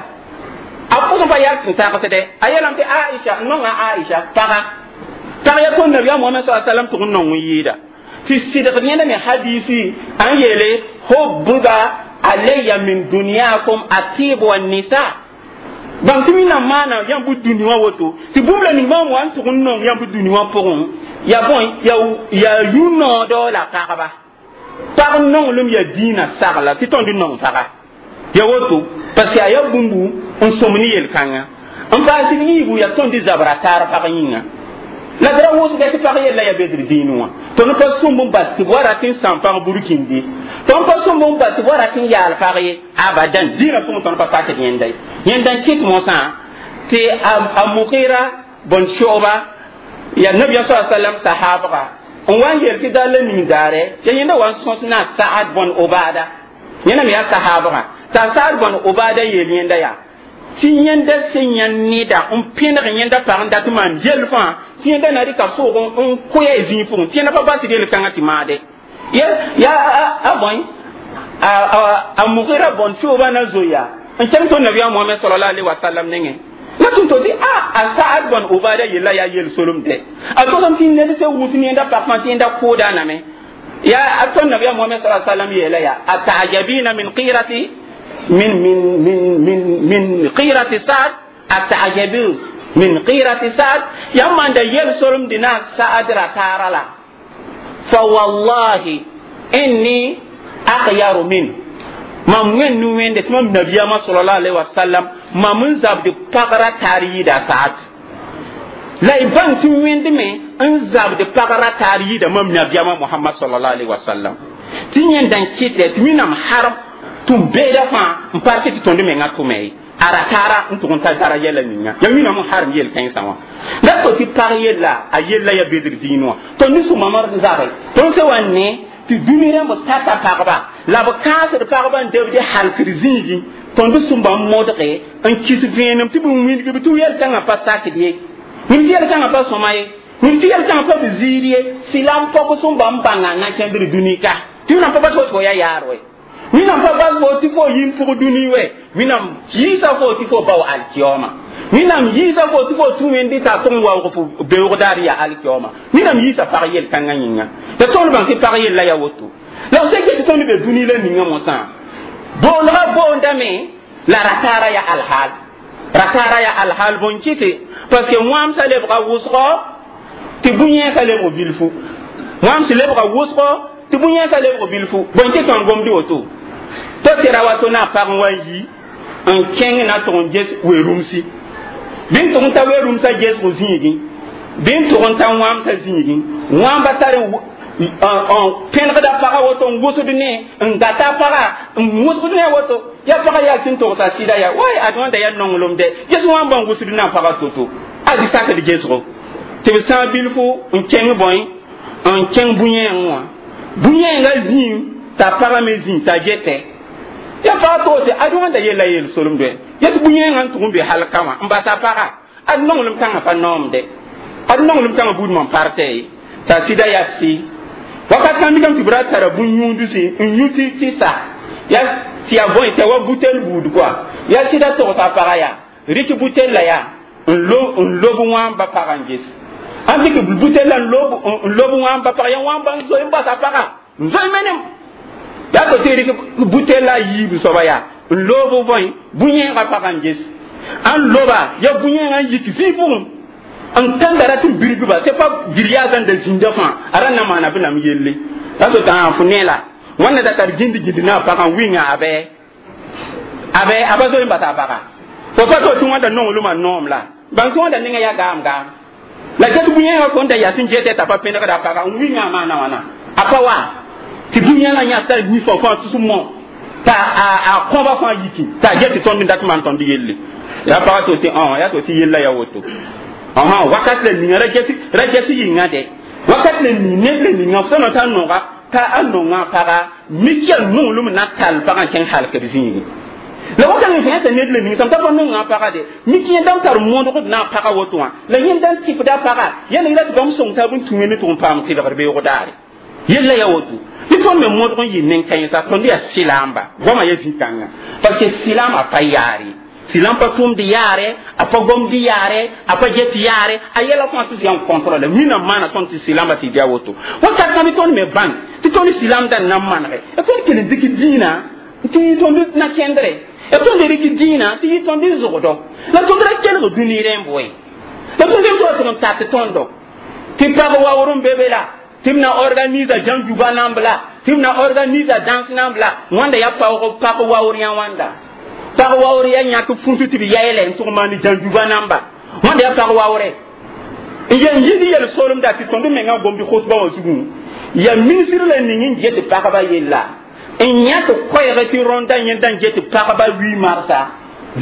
a pʋgẽ pa yaa tɩ tagsdɛ a yeelame tɩ Aisha n nonga Aisha paga pag yaa tõnd nabiya Muhammad sallallahu alaihi wasallam tʋg n nong n yɩɩda tɩ sɩdg yẽnda me hadisi n yeele hubbiba alayya min dunyakum atib wa nisa bãmb tɩ wẽnnaam maana yãmb bʋ dũni wã woto tɩ bũmb la ning bãmb wa n tʋg n nong yãmb dũni wã pʋgẽ yaa bõe yaa yũ-noodɔ la pagba pag nonglem yaa dĩinã sagla tɩ tõnd nong paga ya woto parce que a yaa bũmbu n sõm ne yel-kãngã n paas d yiibu yaa tõnd zabra taar pag yĩnga la d ra wʋsga tɩ pag yella yaa bedr dĩin wã tõnd pa sõmb n bas tɩ b wa rat n sãam pag burkindi tõnd pa sõmb n bas tɩ b wa rat n yaal pag ye abadan dĩinã pʋgẽ tõnd pa sakd yẽnda ye yẽnda n kɩt mosã tɩ a Mugira bõn soaba yaa nabiya sa sallam sahabga n wa n yel tɩ daar la ning daare ya yẽnda wa n sõs na Saad bõn Obada yẽnda me yaa sahabga t'a Saad bõn Obada yeel yẽnda yaa tɩ yẽnda sẽn yã neda n pẽneg yẽnda pag n dat n maan yell fãa tɩ yẽnda na rɩka soog n koya zĩig pʋgẽ tɩ yẽnda pa basd yel-kãngã tɩ maade ya ya a bõe a Mugira bõn sooba na zoe yaa n kẽng tõnd nabiya Mohamɛd sallallahu alaihi wasallam nengẽ la La tʋm to tɩ a a Saad bõn Ubada yella yaa yel-solem dɛ a togsem tɩ ned se wus nenda pak fãa tɩ yẽnda kʋʋda name ya a tõnd nabiyaam Mohamɛd sa sallam yeela yaa atajabina min qirati min min min min min qirati Saad, atajabi min qirati Saad, yãmb manda yel-solem dɩ na Saad ra taara la fa wallahi inni akhyaru min mam wẽnd nu wẽnde tɩ mam nabiyaamã sallallahu alaihi wasallam mam n zabd pagra taar yɩɩda Saad la y bãng tɩ wẽndme n zabd pagra taar yɩɩda mam nabiyaamã Mohamad sallallahu alaihi wasallam tɩ yẽnda n kɩtɛ tɩ wẽnnaam harm tɩ m beeda fãa n park tɩ tõnd mengã tʋme ye a ra taara n tʋg n ta daraja la ninga ya wẽnnaam n harm yel-kãensã wã la to tɩ pag yella a yella ya bedr zĩig wã tõnd ne sũ-mamr n zabe tõnd se wa ne tɩ dũni rãmb tata pagba la b kãasd pagba n debd halkd zĩigẽ tõnd sũmba n modge n kis vẽenem tɩ b wilg b tɩ yel-kãngã pa sakd ye wĩm tɩ yel-kãngã pa sõma ye wĩm tɩ yel-kãngã pa b ziir ye sɩlam pɔg sũmba n bãnga na kẽndr dũni ka tɩ wẽnnaam pa bas fo ya yaar we wẽnnaam pa bas fo tɩ fo yĩn pʋg dũni we wẽnnaam yiisa fo tɩ fo bao alkiyooma wẽnnaam yiisa fo tɩ fo tũ wẽndi t'a tʋg n waoog fo beoogdaar yaa alkiyooma wẽnnaam yiisa pag yel-kãngã yĩnga la tõnd bãng tɩ pag yella yaa woto la f sẽn ket tɩ tõnd be dũni la ninga mosã boolgã boondame la rataara ya alhaal rataara ya alhaal bõn kɩtɩ parce que wãamsã lebga wʋsgɔ tɩ bũ-yẽesã lebg bilfu wãams lebga wʋsgɔ tɩ bũ-yẽesã lebg bilfu bõn kɩ tõnd gomd woto to tɩ ra wato na a pag n wa n yi n kẽng na tʋg n ges we-rũmsi bɩ n tʋg n ta we-rũmsã gesg zĩigẽ bɩ n tʋg n ta wãamsã zĩigẽ wãamba tar n pẽnegda pagã woto n wʋsd ne n gata pagã n wʋsd ne woto ya pagã yaa sẽn togsa sɩda yaa way ad wãnda yaa nonglem dɛ ges wãmba n wʋsd na pagã to-to ad sakd gesgo tɩ b sã bilfu n kẽng bõe n kẽng bũ-yẽeng wã bũ-yẽengã zĩig t'a pagã me zĩ t'a getɛ ya pagã toose ad wãnda yella yel-solem dɛ yet bũ-yẽengã n tʋg n be halka wã n basa pagã ad nonglem kãngã pa noomde ad nonglem kãngã buud mam partɛ ye t'a sɩda yaa sɩ wakat kãn mikame tɩ b ra tara bũ-yũudusi n yũ tɩ tɩ sa ya tɩ ya bõe tɩ ya wa butel buud koa ya sɩda togsa pagã yaa rɩk butel la yaa n lob wãmba pagã n ges ãn dɩk butel la n lob wãmba pagã ya wãmba n zoe n basa pagã n zoe menem yaa to tɩ rɩk butel la a yiib soaba yaa n loob bõe bũ-yẽegã pagã n ges ãn loba ya bũ-yẽegã n yik zĩig pʋgẽ n tãnda rat n birgba tɩ pa giryaasã n da zĩnda fãa a ra na maana b nam yelle la to tã fo ne la wãnna da tar gĩnd gĩnd na a pagã wɩnga a bɛ a bɛ a ba zoe n basa a pagã fo pa to tɩ wãnda nonglmã noom la bãng tɩ wãnda nengã yaa gaam gaam la get bũ-yẽegã fo n da yaa sẽn getɛ t'a pa pẽnegda a pagã n wɩnga a maana wãna a pa wa tɩ bũ-yẽegã yãs t'a nifã fãa tus mõ t'a a kõba fãa yiki t'a get tɩ tõnd n dat maan tõnd yelle yaa pagã to tɩ yaa to tɩ yella yaa woto ɔhɔn wakat la ninga ra ges ra ges yĩnga dɛ wakat la ning ned la ninga f sã t'a noga t'a a nonga paga mik yaa nonglem na tall pagã n kẽng halkd zĩigẽ la wakat n fẽe t'a ned la ning sãm t'a pa nonga paga de mik yẽnda n tar modgd na a paga woto wã la yẽnda n tɩpda paga yãna yẽla tɩ bãmb sõng taab n tũ wẽnd tʋg n paam tɩlgr beoog daare yella yaa woto tɩ tõnd me modg n yɩ nen-kãensã tõnd yaa sɩlaamba goamã yaa zĩ-kãngã parce que sɩlaam a pa yaar ye silam pa tʋmd yaare a pa gomd yaare a pa get yaare a yɛla fãa tɩ yaa n contrôle wĩnnaam maana tõnd tɩ silamba tɩ dɩ a woto wakat kãbe tõnd me bãng tɩ tõnd silamda n na n manege y tõnd kell n dɩk dĩinã tɩ yɩ tõnd na kẽndre y tõnd rɩk dĩinã tɩ yɩ tõnd zʋgdɔ la tõnd ra kelg dũni rẽmb we la tõnd rem tɩ wa tɩg n tat tõndo tɩ pag waoor n be be la tɩ b na organisa jãnjuba namb la tɩ b na organisa dãns namb la wãnda yaa paoog pag waoor yã wãnda pag waoor yaa yãk fũtu tɩ b yaeele n tʋg maan jãnjuba namba wãnda yaa pag waoore n yen yɩd yel solemda tɩ tõnd mengã gomd khotba wã zugu yaa ministre la ning n get pagba yella n yãk koɛɛg tɩ rõnda yẽnda n get pagba wi marsa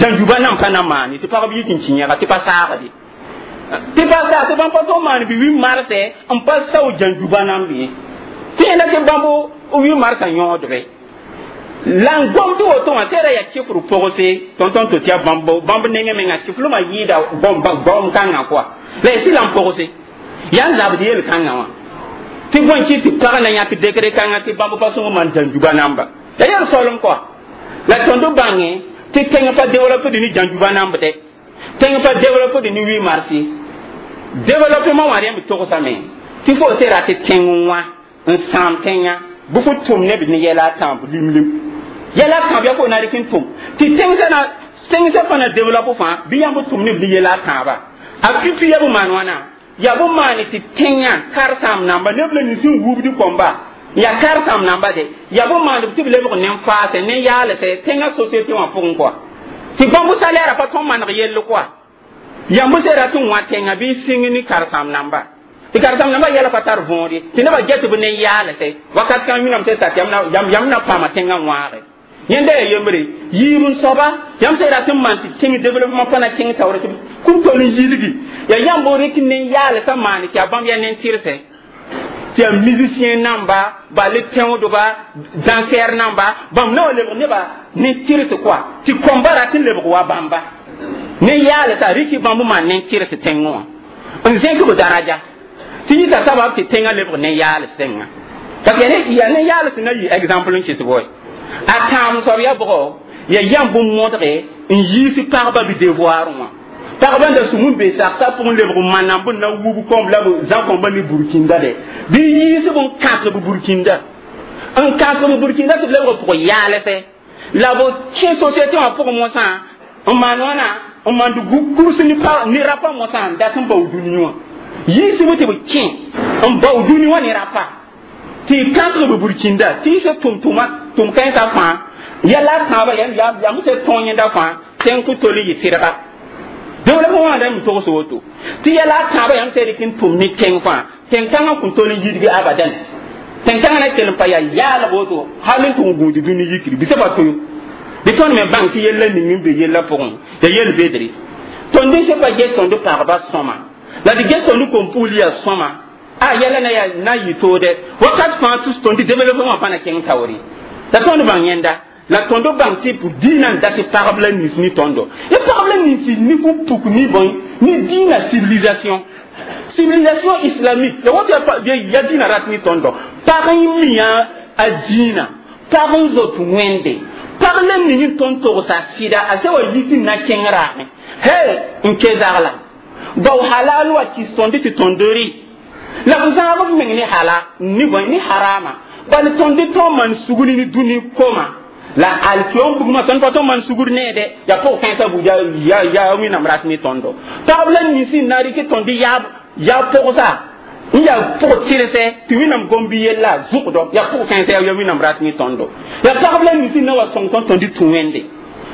jãnjuba nam pa na maane tɩ pagb yik n kĩ yẽga tɩ pa saagde tɩ pa saag tɩ bãmb pa tʋg maan bɩ wi marsɛ n pa sao jãnjuba namb ye tɩ yẽnda tɩ bãmb wi marsã yõodbe la n gomd woto wã tɩ ra yaa kɩfr pʋgse tõn-tõn to tɩ yaa bãmb bãmb nengẽ menga kɩflmã yɩɩda goam kãngã koa la yaa sɩla n pʋgse yaa n zabd yel-kãngã wã tɩ bõe kɩ tɩ pag na yãk dekre kãngã tɩ bãmb pa sõng maan jãnjuba namba la yel soolem koa la tõnd bãngẽ tɩ tẽng pa développe ne jãnjuba namb dɛ tẽng pa développer de ni huit mars développement wã rẽmb togsame tɩ fo se rat tẽng wã n sãam tẽngã bɩ fo tʋm ne b ne yɛla a tãab lim lim yɛla a tãab yaa fo na rɩk n tʋm tɩ tẽngsã na tẽngsã fã na développe fãa bɩ yãmb tʋm ne b ne yɛla a tãaba a pipi ya b maan wãna yaa bõn maane tɩ tẽngã karsãam namba neb la nins n wubd kõmba yaa karsãam namba de yaa bõn maand tɩ b lebg nen-faasɛ nen-yaalsɛ tẽngã société wã pʋgẽ kɔa tɩ bãmb salaire pa tõnd maneg yell kɔa yãmb se rat n wã tẽngã bɩ sĩng ne karsãam namba tɩ karsãam namba yɛla pa tar võor ye tɩ nebã get b nen-yaalsɛ wakat kãng wĩnam se sat yãmb na paama tẽngã wãage yẽnda yaa yembre yiib n soaba yãmb sã rat n maan tɩ tẽng développement pa na kẽng taoore tɩ kũm tol n yilgi yaa yãmb rɩk nen-yaalsã maan tɩ yaa bãmb yaa nen-tɩrsɛ tɩ yaa musicien namba bal tẽodba dansɛr namba bãmb na wa lebg nebã nen-tɩrs koa tɩ kõmba rat n lebg wa bãmba nen-yaalsã rɩk bãmb maan nen-tɩrs tẽngẽ wã n zẽk b daraja tɩ yita sabab tɩ tẽngã lebg nen-yaals tẽngã parce que yaa nen-yaals na yɩ exemple n kɩs boy a tãam soab yaa bʋgɔ yaa yãmb bũmb modge n yiis pagba b devoir wã pagba n da sum n be saksa pʋgẽ lebg manam b na wub kõmb la b zã kõmba ne burkinda de bɩ yiis b n kãsg b burkinda n kãsg b burkinda tɩ b lebg pʋg yaalsɛ la b kẽ société wã pʋgẽ mosã n maan wãna n maand kurs ne ne rapa mosã n dat n bao dũni wã yiisb tɩ b kẽ n bao dũni wã ne rapa tɩ kãsg b burkinda tɩ yɩ tʋm tʋma tʋm kãensã fãa yɛla a tãabã yãmb se tõog yẽnda fãa tẽng kʋ tol n yɩ sɩdga développement wã rãmb togs woto tɩ yɛla a tãabã yãmb se rɩk n tʋm ne tẽng fãa tẽn-kãngã kũn tol n yidgi abadan tẽn-kãngã na kell n pa yaa yaalg woto hal n tʋg n gũud dũni yikri bɩ pa toyo bɩ tõnd me bãng tɩ yella ning n be yella pʋgẽ ya yel bedre tõnd sẽn pa ges tõnd pagba sõma la d ges tõnd kom-pugl yaa sõma a yɛla na yaa na yɩ toode wakat fãa tɩ tõnd développement wã pa na kẽng taoore la tõnd bãng yẽnda la tõnd bãng tɩ dĩinã n dat pagb la nins ne tõndo ya pagb la nins ne fo puk ne bõe ne dĩinã civilisation civilisation islamique ya woto ya dĩinã rat ne tõndo pag n mi a dĩinã pag n zot wẽnde pag la ning n tõnd togsa sɩda a sã wa yit n na kẽng raame he n ke zagla bao halal wa kis tõnd tɩ tõnd rɩ la b zãag b meng ne hala ne bõe ne harama bal tõnd tõog maan sugr ne dũni koma la alkiyom bugma tõnd pa tõnd maan sugr neede yaa pʋg kãensã bug ya ya wẽnnaam rat ne tõndo pagb la nins n na rɩk tõnd yaab yaa pʋgsa n yaa pʋg tɩrsɛ tɩ wẽnnaam gom-bi yella zʋgdɔ yaa pʋg kãensã yaa wẽnnaam rat ne tõndo yaa pagb la nins n na wa sõng tõnd tõnd tũ wẽnde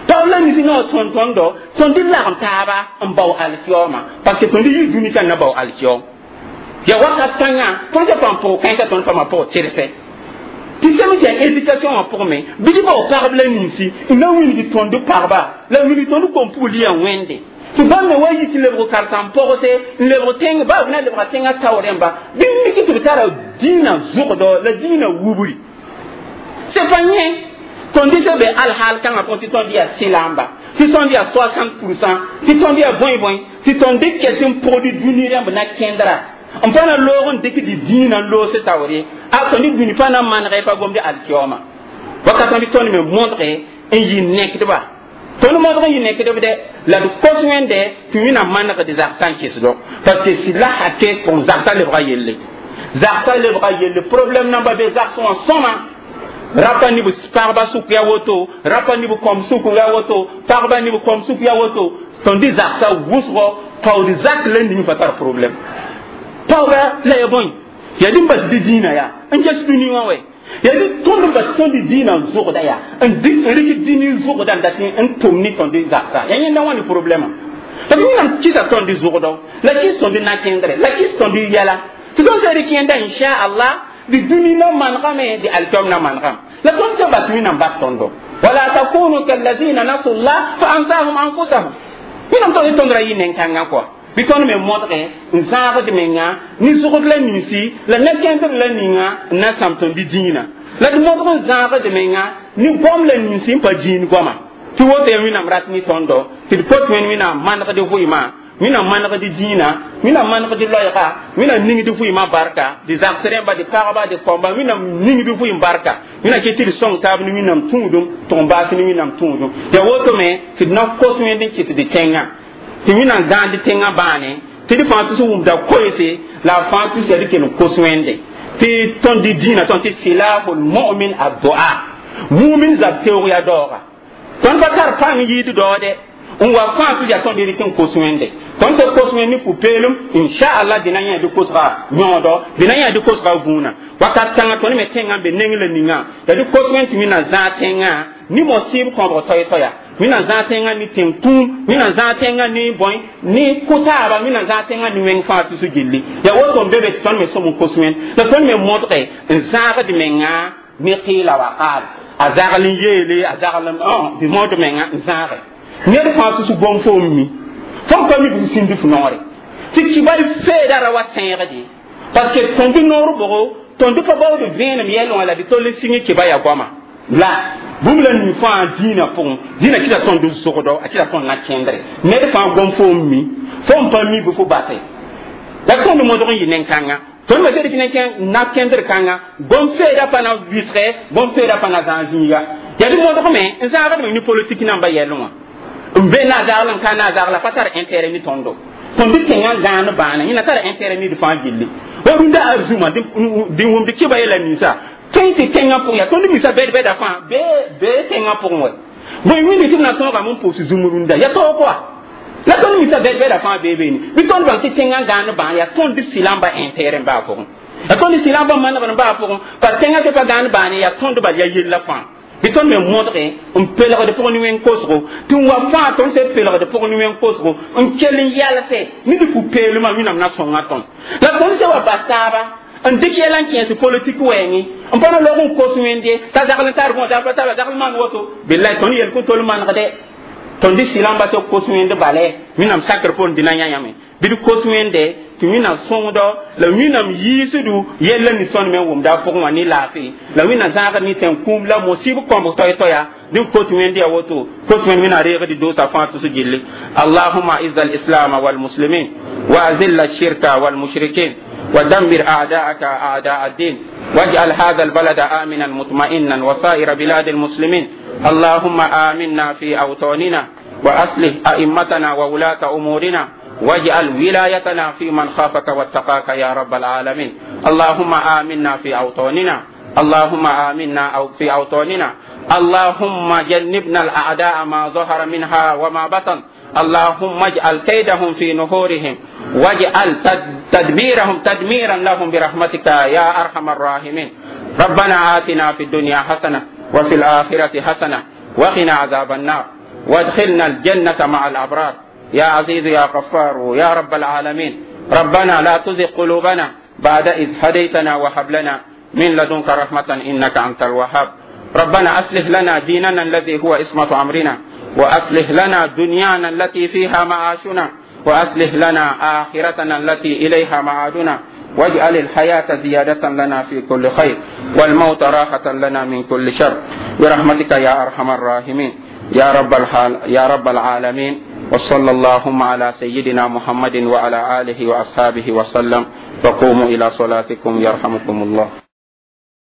pagb la nins n na wa sõng tõndo tõnd lagem taaba n bao alkiyooma parce que tõnd yɩ dũni ka na bao alkiyoom ya wakat kãngã tõnd sã paam pʋg kãensã tõnd paama pʋg tɩrsɛ tɩ sẽm tɩ yaa éducation wã pʋgẽ me bɩ tɩ bao pagb la ninsi n na wilg tõnd pagba la wilg tõnd kom-pugl yaa wẽnde tɩ bãmb me wa yi tɩ lebg karsãm pɔgse n lebg tẽng baa b na lebga tẽngã tao rẽmba bɩ mik tɩ b tara dĩinã zʋgdɔ la dĩinã wubri c'est pas yẽ tõnd sã be alhaal kãngã pʋgẽ tɩ tõnd yaa sɩlamba tɩ tõnd yaa soixante pourcent tɩ tõnd yaa bõe bõe tɩ tõnd ket n pʋgd dũni rãmb na kẽndra n pa na loog n dɩk dɩ dĩinã n loos taoore a tõnd dũni pa na manegɛ pa gomd alkiyooma wakat bɩ tõnd me modge n yɩ nekdba tõnd modg n yɩ nekdb dɛ la d kos wẽnde tɩ wẽnnaam manegd zagsã n kɩsdɔ parce que sɩd la hake pʋgẽ zagsã lebga yelle zagsã lebga yelle problème namba be zags wã sõma rapa ne b pagba sʋk ya woto rapa ne b kõm sʋk ya woto pagba ne b kõm sʋk ya woto tõnd zagsã wʋsgɔ paood zak la ning pa tar problème paooga la ya bõe yaa dɩ n bas dɩ dĩinã yaa n ges dũni wã wɛ yaa dɩ tõnd n bas tõnd dĩinã n zʋgda yaa n rɩk dĩni zʋgda n dat n tʋm ne tõnd zaksa yaa yẽnda wã ne problème parce que wẽnnaam kɩsa tõnd zʋgdɔ la kɩs tõnd na-kẽndrɛ la kɩs tõnd yɛla tɩ tõnd sã rɩk yẽnda inchallah dɩ dũni na manegame dɩ alkiom na manegame la tõnd sã bas wẽnnaam bas tõndo wala takunu kallazina nasu llah fa ansahum anfusahum wẽnnaam tõnd tõnd ra yɩ nen-kãngã kɔa bɩ tõnd me modge n zãagd menga ne zʋgd la ninsi la na-kẽndr la ninga n na sãam tõnd dĩinã la d modg n zãagd menga ne goam la ninsi n pa dĩin goama tɩ woto yaa wẽnnaam rat ne tõndo tɩ d kot wẽnd wẽnnaam manegd vʋɩmã wẽnnaam manegd dĩinã wẽnnaam manegd loɛɛga wẽnnaam ningd vʋɩmã barka dɩ zags rẽmba dɩ pagba dɩ kõmba wẽnnaam ningd vʋɩm barka wẽnnaam ket tɩ d sõng taab ne wẽnnaam tũudum tʋg n baas ne wẽnnaam tũudum yaa woto me tɩ d na kos wẽnd n kɩt dɩ tẽngã Tɩ wẽnnaam gãand tẽngã bãane tɩ d fãa tus wʋmda koeese la a fãa tus yaa d kell n kos wẽnde tɩ tõnd dɩ dĩinã tõnd tɩ silahul mu'min addu'a mumin zab teoog yaa daooga tõnd pa tar pãng yɩɩd daoode n wa fãa tus yaa tõnd rɩk n kos wẽnde tõnd sẽn kos wẽnd ne pu-peelem inchallah dĩna yã dɩ kosga yõodɔ dĩna yã dɩ kosga vũunã wakat kãngã tõnd me tẽngã n be neng la ninga la dɩ kos wẽnd tɩ wẽnnaam zãag tẽngã ne mosɩɩb kõbg toɛ-toɛya wẽnnaam zãag tẽngã ne tẽn-kũum wẽnnaam zãag tẽngã ne bõe ne kʋ-taaba wẽnnaam zãag tẽngã ne wẽng fãa tus gilli yaa woto n be be tɩ tõnd me sõm n kos wẽnd la tõnd me modge n zãagd menga ne qɩɩla wa qaal a zagl n yeele a zagl n bɩ mod menga n zãage ned fãa tus gom fo n mi fõn pa mi bɩ sĩnd f noore tɩ kibal feeda ra wa sẽegde parce que tõnd noor bʋgo tõnd pa baood vẽenem yɛl wã la dɩ tol n sɩng kiba yaa goama la bũmb la ning fãa dĩinã pʋgẽ dĩinã kɩta tõnd zogdo a kɩta tõnd na kẽndre ned fãa gom fo n mi fo n pa mi bɩ fo base la tõnd modg n yɩ nen-kãnga tõnd me sed tɩ na kẽndr kãnga gom feeda pa na wɩsgɛ gom feeda pa na zãag zĩiga yaa dɩ modgme n zãagdme ne politik namba yɛl wã n be na zagl n ka na zagla pa tar intérêt ni tõndo tõnd tẽngã gãan bãana yẽna tar intérêt ned fãa gilli wa rũndã arzũmã dɩ wʋmd kɩba yɛla ninsa tõe tɩ tẽngã pʋgẽ yaa tõnd misa bɛd-bɛda fãa bee tẽngã pʋgẽ wɛ bõe wĩndi tɩ b na tõogame n pʋʋs zũm rũndã yaa taoog wa la tõnd misa bɛd-bɛda fãa bee beene bɩ tõnd bãng tɩ tẽngã gãan bãan yaa tõnd sɩlãmba intérêt n baa pʋgẽ yaa tõnd sɩlãmba manegr n baa pʋgẽ pa tẽngã tɩ pa gãan bãane yaa tõnd bal yaa yella fãa bɩ tõnd me modge n pelgd pʋg ne wẽn kosgo tɩ n wa fãa tõnd sẽn pelgd pʋg ne wẽn kosgo n kell n yalse ne dɩ pu-peelmã wẽnnaam na sõnga tõnd la tõnd sẽn wa bas taaba n dɩk yɛla n kẽes politik wɛɛngẽ n pa na log n kos wẽnde t'a zagl n tar bõ t'a pa zagl maan woto billahi tõnd yel kõ tol manegde tõnd dɩ sɩlãmba tɩ kos wẽnd bale wẽnnaam sakr poor dĩna yã yãme bɩ d kos wẽnde tɩ wẽnnaam sõngdɔ la wẽnnaam yiisdu yella ning tõnd me wʋmda a pʋgẽ wã ne laafɩ la wẽnnaam zãagd ne tẽn-kũum la mosɩb kõbg toɛ-toɛya dẽn kot wẽnd yaa woto kot wẽnd wẽnnaam reegd doosa fãa tʋs gilli اللهم أعز الإسلام والمسلمين وأذل الشرك والمشركين ودمر أعداءك أعداء الدين واجعل هذا البلد آمنا مطمئنا وسائر بلاد المسلمين اللهم آمنا في أوطاننا وأصلح أئمتنا وولاة أمورنا واجعل ولايتنا في من خافك واتقاك يا رب العالمين اللهم آمنا في أوطاننا اللهم آمنا أو في أوطاننا اللهم جنبنا الأعداء ما ظهر منها وما بطن اللهم اجعل كيدهم في نحورهم واجعل تدبيرهم تدميرا لهم برحمتك يا أرحم الراحمين ربنا آتنا في الدنيا حسنة وفي الآخرة حسنة وقنا عذاب النار وادخلنا الجنة مع الأبرار يا عزيز يا غفار يا رب العالمين ربنا لا تزغ قلوبنا بعد إذ هديتنا وهب لنا من لدنك رحمة إنك أنت الوهاب ربنا أصلح لنا ديننا الذي هو عصمة أمرنا وأصلح لنا دنيانا التي فيها معاشنا وأصلح لنا آخرتنا التي إليها معادنا واجعل الحياة زيادة لنا في كل خير والموت راحة لنا من كل شر برحمتك يا أرحم الراحمين يا رب الحال يا رب العالمين وصلى اللهم على سيدنا محمد وعلى آله وأصحابه وسلم وقوموا إلى صلاتكم يرحمكم الله.